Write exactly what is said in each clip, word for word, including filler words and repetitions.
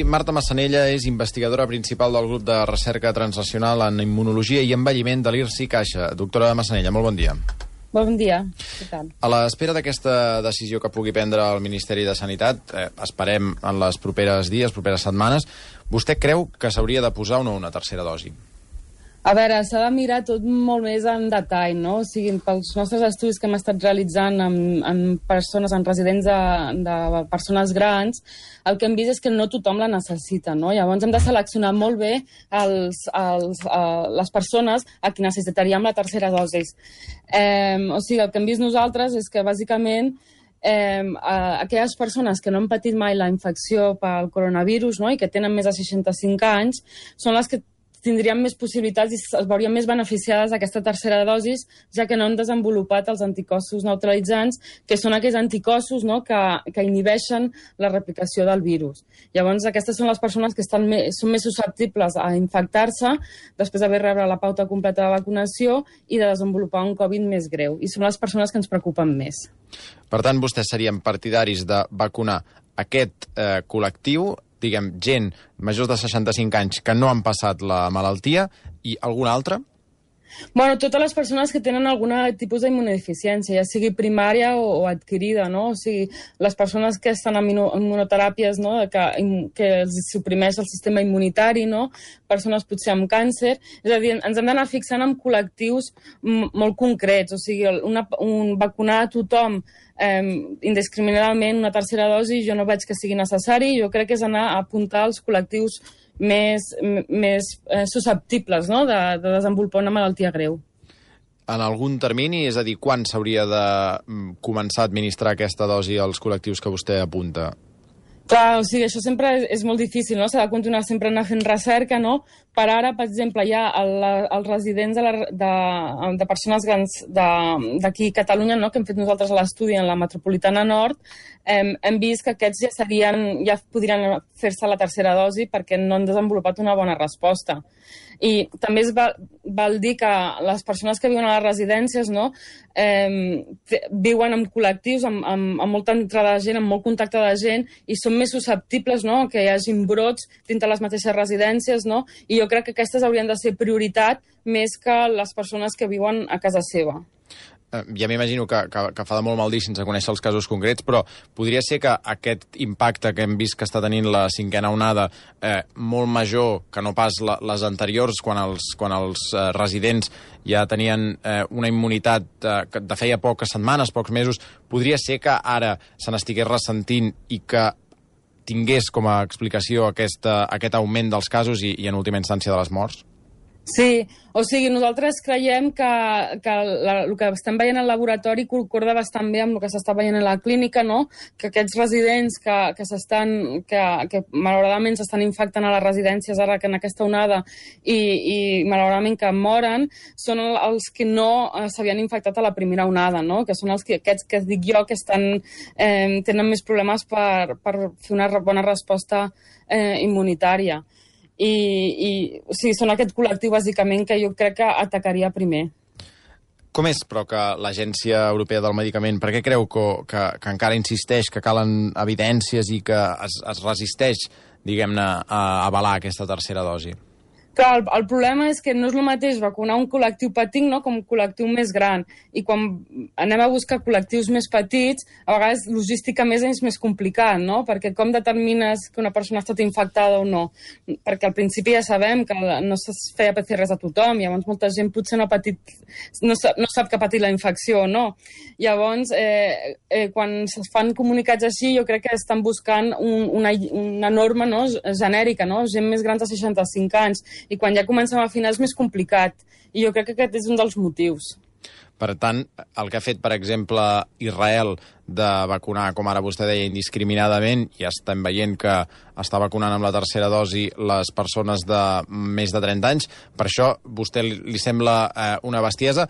Marta Massanella és investigadora principal del grup de recerca transnacional en immunologia i envelliment de l'I R S I Caixa. Doctora Massanella, molt bon dia. Bon dia, què tal? A l'espera d'aquesta decisió que pugui prendre el Ministeri de Sanitat, eh, esperem en les properes dies, properes setmanes, vostè creu que s'hauria de posar o no una tercera dosi? A veure, s'ha de mirar tot molt més en detall, no? O sigui, pels nostres estudis que hem estat realitzant en, en persones, en residents de, de persones grans, el que hem vist és que no tothom la necessita, no? Llavors hem de seleccionar molt bé els, els, uh, les persones a qui necessitaríem la tercera dosi. Eh, o sigui, el que hem vist nosaltres és que, bàsicament, Eh, uh, aquelles persones que no han patit mai la infecció pel coronavirus, no?, i que tenen més de seixanta-cinc anys són les que tindrien més possibilitats i es veurien més beneficiades d'aquesta tercera dosi, ja que no han desenvolupat els anticossos neutralitzants, que són aquells anticossos, no?, que, que inhibeixen la replicació del virus. Llavors, aquestes són les persones que estan més, són més susceptibles a infectar-se després d'haver rebut la pauta completa de vacunació i de desenvolupar un Covid més greu. I són les persones que ens preocupen més. Per tant, vostès serien partidaris de vacunar aquest eh, col·lectiu, diguem, gent majors de seixanta-cinc anys que no han passat la malaltia, i algun altre? Bueno, totes les persones que tenen algun tipus d'immunodeficiència, ja sigui primària o, o adquirida, no? O sigui, les persones que estan en immunoteràpies, no?, que, que els suprimeix el sistema immunitari, no?, persones potser amb càncer, és a dir, ens hem d'anar fixant en col·lectius molt concrets, o sigui, una, un, vacunar a tothom eh, indiscriminadament una tercera dosi jo no veig que sigui necessari, jo crec que és anar a apuntar als col·lectius més, més eh, susceptibles, no?, de, de desenvolupar una malaltia greu. En algun termini, és a dir, quan s'hauria de començar a administrar aquesta dosi als col·lectius que vostè apunta? Clar, o sigui, això sempre és, és molt difícil, no? S'ha de continuar sempre anar fent recerca, no? Per ara, per exemple, hi ha el, els residents de, la, de, de persones grans d'aquí a Catalunya, no?, que hem fet nosaltres l'estudi en la metropolitana nord, hem, hem vist que aquests ja serien, ja podrien fer-se la tercera dosi perquè no han desenvolupat una bona resposta. I també es val, val dir que les persones que viuen a les residències, no?, eh, viuen en col·lectius, amb, amb, amb molta entrada de gent, amb molt contacte de gent, i són més susceptibles, no?, que hi hagin brots dintre les mateixes residències, no?, i jo crec que aquestes haurien de ser prioritat més que les persones que viuen a casa seva. Ja m'imagino que, que, que fa de molt mal dir sense conèixer els casos concrets, però podria ser que aquest impacte que hem vist que està tenint la cinquena onada eh, molt major que no pas la, les anteriors, quan els, quan els eh, residents ja tenien eh, una immunitat eh, de feia poques setmanes, pocs mesos, podria ser que ara se n'estigués ressentint i que tingués com a explicació aquesta, aquest augment dels casos i, i en última instància de les morts? Sí, o sigui, nosaltres creiem que, que la, el que estem veient al laboratori concorda bastant bé amb el que s'està veient a la clínica, no?, que aquests residents que, que s'estan, que, que malauradament s'estan infectant a les residències ara que en aquesta onada i, i malauradament que moren, són els que no s'havien infectat a la primera onada, no?, que són els que, aquests que dic jo que estan, eh, tenen més problemes per, per fer una bona resposta eh, immunitària. I, i o sigui, són aquest col·lectiu, bàsicament, que jo crec que atacaria primer. Com és, però, que l'Agència Europea del Medicament, per què creu que, que, que encara insisteix que calen evidències i que es, es resisteix, diguem-ne, a avalar aquesta tercera dosi? Clar, el, el problema és que no és el mateix vacunar un col·lectiu petit, no?, com un col·lectiu més gran. I quan anem a buscar col·lectius més petits, a vegades logística més és més complicat, no?, perquè com determines que una persona ha estat infectada o no? Perquè al principi ja sabem que no es feia P C Rs a tothom, llavors molta gent potser no ha patit, no sap, no sap que ha patit la infecció o no. Llavors, eh, eh, quan es fan comunicats així, jo crec que estan buscant un, una, una norma, no?, genèrica, no?, gent més gran de seixanta-cinc anys, i quan ja comencem a afinar és més complicat. I jo crec que aquest és un dels motius. Per tant, el que ha fet, per exemple, Israel de vacunar, com ara vostè deia, indiscriminadament, i estem veient que està vacunant amb la tercera dosi les persones de més de trenta anys, per això vostè li sembla eh, una bestiesa,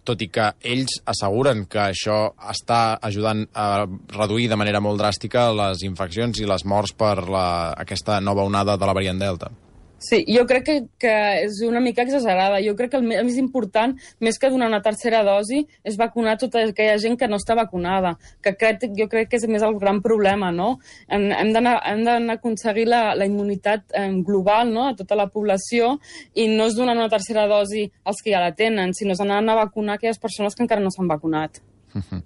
tot i que ells asseguren que això està ajudant a reduir de manera molt dràstica les infeccions i les morts per la, aquesta nova onada de la variant Delta. Sí, jo crec que, que és una mica exagerada. Jo crec que el més important, més que donar una tercera dosi, és vacunar tota aquella gent que no està vacunada, que crec, jo crec que és més el gran problema, no? Hem, hem d'anar a aconseguir la, la immunitat eh, global, no?, a tota la població, i no és donar una tercera dosi als que ja la tenen, sinó és anar a vacunar aquelles persones que encara no s'han vacunat. Uh-huh.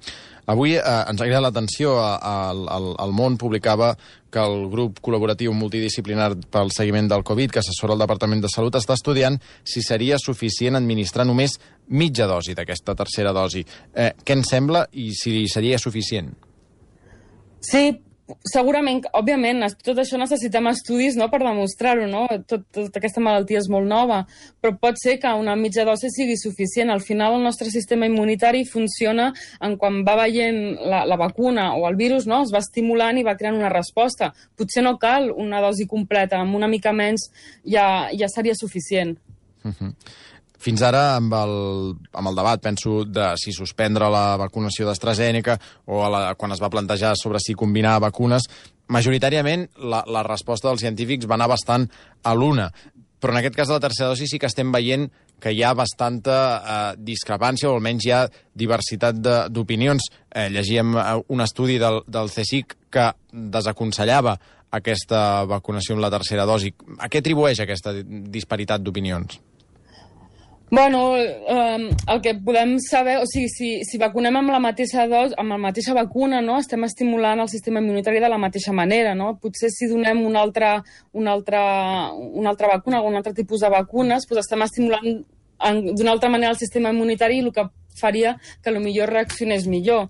Avui eh, ens ha cridat l'atenció, al, al, al món publicava que el grup col·laboratiu multidisciplinar pel seguiment del Covid, que assessora el Departament de Salut, està estudiant si seria suficient administrar només mitja dosi d'aquesta tercera dosi. Eh, què en sembla i si seria suficient? Sí, segurament, òbviament, tot això necessitem estudis, no?, per demostrar-ho, no? Tot, tota aquesta malaltia és molt nova, però pot ser que una mitja dosi sigui suficient. Al final el nostre sistema immunitari funciona en quan va veient la, la vacuna o el virus, no?, es va estimulant i va creant una resposta. Potser no cal una dosi completa, amb una mica menys ja, ja seria suficient. Uh-huh. Fins ara, amb el, amb el debat, penso, de si suspendre la vacunació d'AstraZeneca o a la, quan es va plantejar sobre si combinar vacunes, majoritàriament la, la resposta dels científics va anar bastant a l'una. Però en aquest cas de la tercera dosi sí que estem veient que hi ha bastanta eh, discrepància, o almenys hi ha diversitat d'opinions. Eh, llegíem un estudi del, del CSIC que desaconsellava aquesta vacunació amb la tercera dosi. A què atribueix aquesta disparitat d'opinions? Bueno, eh, el que podem saber, o sigui, si, si vacunem amb la mateixa dos, amb la mateixa vacuna, no?, estem estimulant el sistema immunitari de la mateixa manera, no? Potser si donem una altra, una altra, una altra vacuna, algun altre tipus de vacunes, doncs estem estimulant d'una altra manera el sistema immunitari, i el que faria que potser reaccionés millor.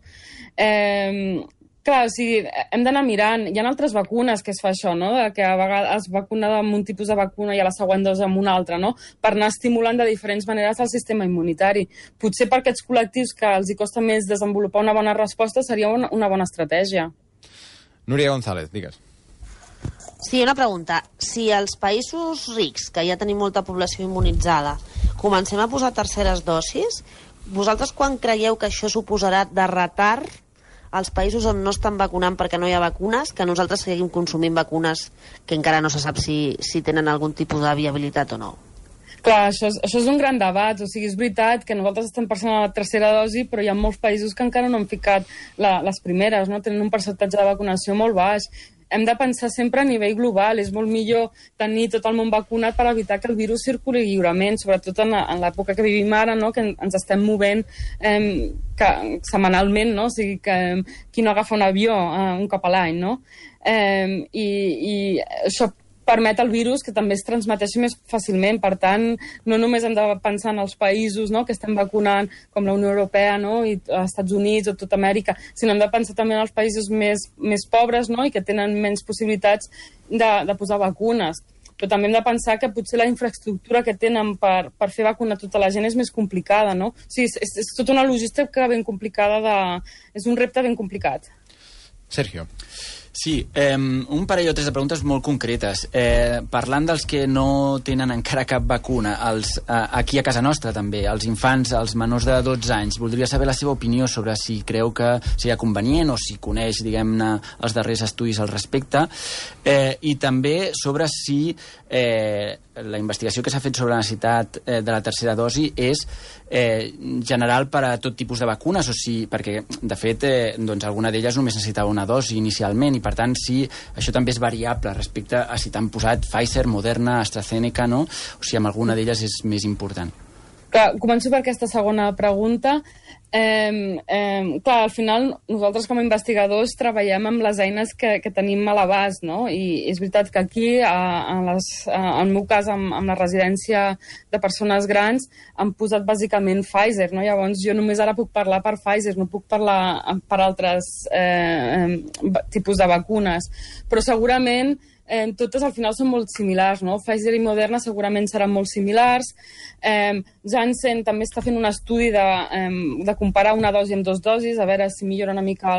Eh, Clar, o sigui, hem d'anar mirant. Hi ha altres vacunes que es fa això, no?, de que a vegades es vacuna amb un tipus de vacuna i a la següent dosi amb una altra, no?, per anar estimulant de diferents maneres el sistema immunitari. Potser per aquests col·lectius que els hi costa més desenvolupar una bona resposta seria una, una bona estratègia. Núria González, digues. Sí, una pregunta. Si als països rics, que ja tenim molta població immunitzada, comencem a posar terceres dosis, vosaltres quan creieu que això suposarà de retard als països on no estan vacunant perquè no hi ha vacunes, que nosaltres seguim consumint vacunes que encara no se sap si, si tenen algun tipus de viabilitat o no? Clar, això és, això és un gran debat. O sigui, és veritat que nosaltres estem passant a la tercera dosi, però hi ha molts països que encara no han ficat la, les primeres, no? Tenen un percentatge de vacunació molt baix. Hem de pensar sempre a nivell global. És molt millor tenir tot el món vacunat per evitar que el virus circuli lliurement, sobretot en, en l'època que vivim ara, no?, que ens estem movent eh, que, setmanalment, no? O sigui, que qui no agafa un avió eh, un cop a l'any, no? Eh, i, I això permet al virus que també es transmeteixi més fàcilment. Per tant, no només hem de pensar en els països, no?, que estem vacunant, com la Unió Europea, no?, i els Estats Units o tota Amèrica, sinó hem de pensar també en els països més, més pobres, no?, i que tenen menys possibilitats de, de posar vacunes. Però també hem de pensar que potser la infraestructura que tenen per, per fer vacunar tota la gent és més complicada, no? O sigui, és, és tota una logística ben complicada, de... és un repte ben complicat. Sergio. Sí, eh, un parell o tres de preguntes molt concretes. Eh, parlant dels que no tenen encara cap vacuna, els, eh, aquí a casa nostra també, els infants, els menors de dotze anys, voldria saber la seva opinió sobre si creu que seria convenient o si coneix, diguem-ne, els darrers estudis al respecte, eh, i també sobre si eh, la investigació que s'ha fet sobre la necessitat eh, de la tercera dosi és eh, general per a tot tipus de vacunes, o si, perquè, de fet, eh, doncs, alguna d'elles només necessitava una dosi inicialment, i per tant, si això també és variable respecte a si t'han posat Pfizer, Moderna, AstraZeneca, no? O si amb alguna d'elles és més important. Clar, començo per aquesta segona pregunta. Eh, eh, clar, al final nosaltres com a investigadors treballem amb les eines que, que tenim a l'abast, no? I és veritat que aquí, a, a les, a, en el meu cas, amb, amb la residència de persones grans, han posat bàsicament Pfizer, no? Llavors jo només ara puc parlar per Pfizer, no puc parlar per altres eh, tipus de vacunes. Però segurament Eh, totes al final són molt similars, no? Pfizer i Moderna segurament seran molt similars. Eh, Janssen també està fent un estudi de, eh, de comparar una dosi amb dues dosis, a veure si millora una mica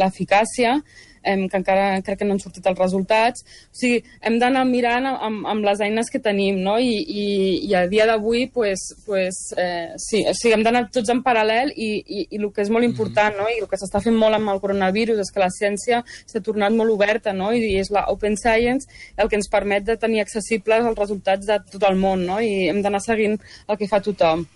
l'eficàcia. eh, que encara crec que no han sortit els resultats. O sigui, hem d'anar mirant amb, amb les eines que tenim, no? I, i, i a dia d'avui, pues, pues, eh, sí, o sigui, hem d'anar tots en paral·lel i, i, i el que és molt important, no? I el que s'està fent molt amb el coronavirus és que la ciència s'ha tornat molt oberta, no? I és la Open Science el que ens permet de tenir accessibles els resultats de tot el món, no? I hem d'anar seguint el que fa tothom.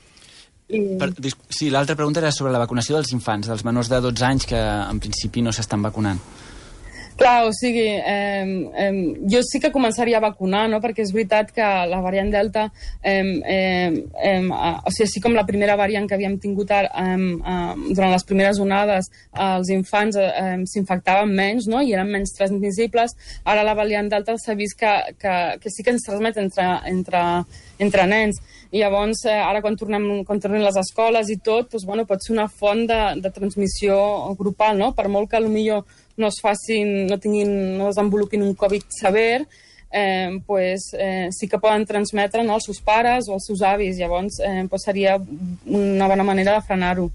I... Per, sí, l'altra pregunta era sobre la vacunació dels infants, dels menors de dotze anys que en principi no s'estan vacunant. Clar, o sigui, eh, eh, jo sí que començaria a vacunar, no? Perquè és veritat que la variant Delta, eh, eh, eh, o sigui, així com la primera variant que havíem tingut eh, eh, durant les primeres onades, eh, els infants eh, s'infectaven menys, no? I eren menys transmissibles. Ara la variant Delta s'ha vist que, que, que sí que ens transmet entre, entre, entre nens. I llavors, eh, ara quan tornem, quan tornem les escoles i tot, doncs, bueno, pot ser una font de, de transmissió grupal, no? Per molt que potser no es facin, no tinguin, no desenvolupin un Covid sever, eh, pues, eh, sí que poden transmetre, no, als seus pares o als seus avis. Llavors, eh, pues seria una bona manera de frenar-ho.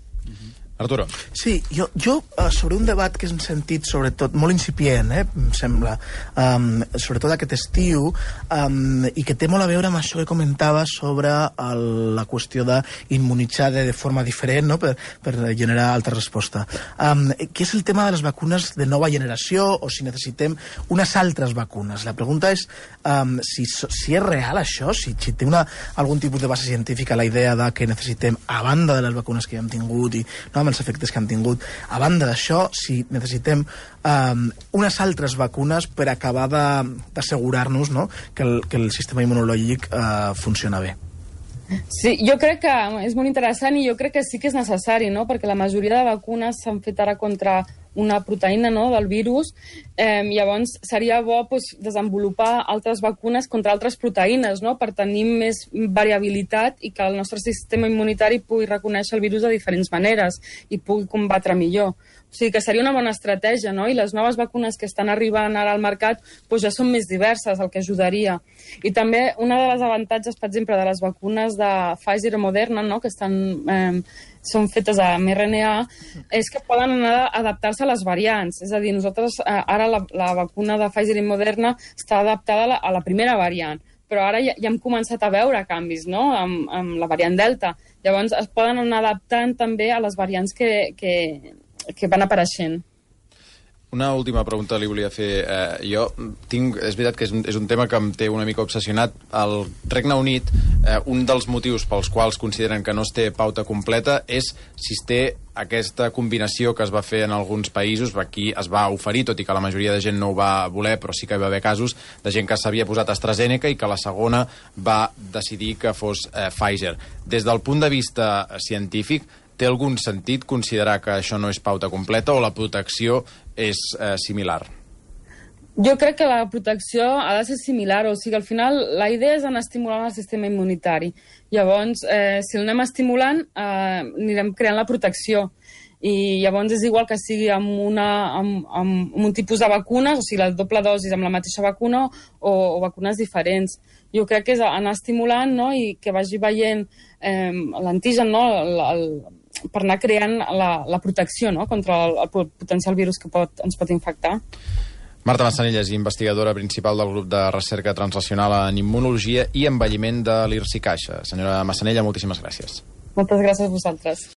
Arturo. Sí, jo, jo uh, sobre un debat que és en sentit, sobretot, molt incipient, eh, em sembla, um, sobretot aquest estiu, um, i que té molt a veure amb això que comentava sobre el, la qüestió d'immunitzar de, de forma diferent, no?, per, per generar altra resposta. Um, que és el tema de les vacunes de nova generació o si necessitem unes altres vacunes. La pregunta és um, si, si és real això, si, si té una, algun tipus de base científica la idea de que necessitem, a banda de les vacunes que ja hem tingut i no, amb els efectes que han tingut. A banda d'això, si necessitem um, unes altres vacunes per acabar d'assegurar-nos, no?, que, el, que el sistema immunològic uh, funciona bé. Sí, jo crec que és molt interessant i jo crec que sí que és necessari, no?, perquè la majoria de vacunes s'han fet ara contra una proteïna, no?, del virus. Eh, llavors, seria bo pues, desenvolupar altres vacunes contra altres proteïnes, no?, per tenir més variabilitat i que el nostre sistema immunitari pugui reconèixer el virus de diferents maneres i pugui combatre millor. O sigui que seria una bona estratègia, no? I les noves vacunes que estan arribant ara al mercat pues, ja són més diverses, el que ajudaria. I també una de les avantatges, per exemple, de les vacunes de Pfizer o Moderna, no?, que estan, eh, són fetes amb R N A, és que poden anar a adaptar-se a les variants. És a dir, nosaltres eh, ara la, la vacuna de Pfizer i Moderna està adaptada a la, a la primera variant, però ara ja, ja hem començat a veure canvis, no?, amb, amb la variant Delta. Llavors es poden anar adaptant també a les variants que, que, que van apareixent. Una última pregunta li volia fer. Eh, jo tinc... És veritat que és un, és un tema que em té una mica obsessionat. Al Regne Unit, eh, un dels motius pels quals consideren que no es té pauta completa és si es té aquesta combinació que es va fer en alguns països. Aquí es va oferir, tot i que la majoria de gent no ho va voler, però sí que hi va haver casos de gent que s'havia posat AstraZeneca i que la segona va decidir que fos eh, Pfizer. Des del punt de vista científic, té algun sentit considerar que això no és pauta completa o la protecció és eh, similar? Jo crec que la protecció ha de ser similar, o sigui, al final la idea és anar estimulant el sistema immunitari. Llavors, eh, si l'anem estimulant, eh, anirem creant la protecció. I llavors és igual que sigui amb, una, amb, amb un tipus de vacunes, o sigui, la doble dosis amb la mateixa vacuna o, o vacunes diferents. Jo crec que és anar estimulant, no?, i que vagi veient eh, l'antigen, no?, el, el, per anar creant la, la protecció, no?, contra el, el potencial virus que pot, ens pot infectar. Marta Massanella és investigadora principal del grup de recerca translacional en immunologia i envelliment de l'I R S I Caixa. Senyora Massanella, moltíssimes gràcies. Moltes gràcies a vosaltres.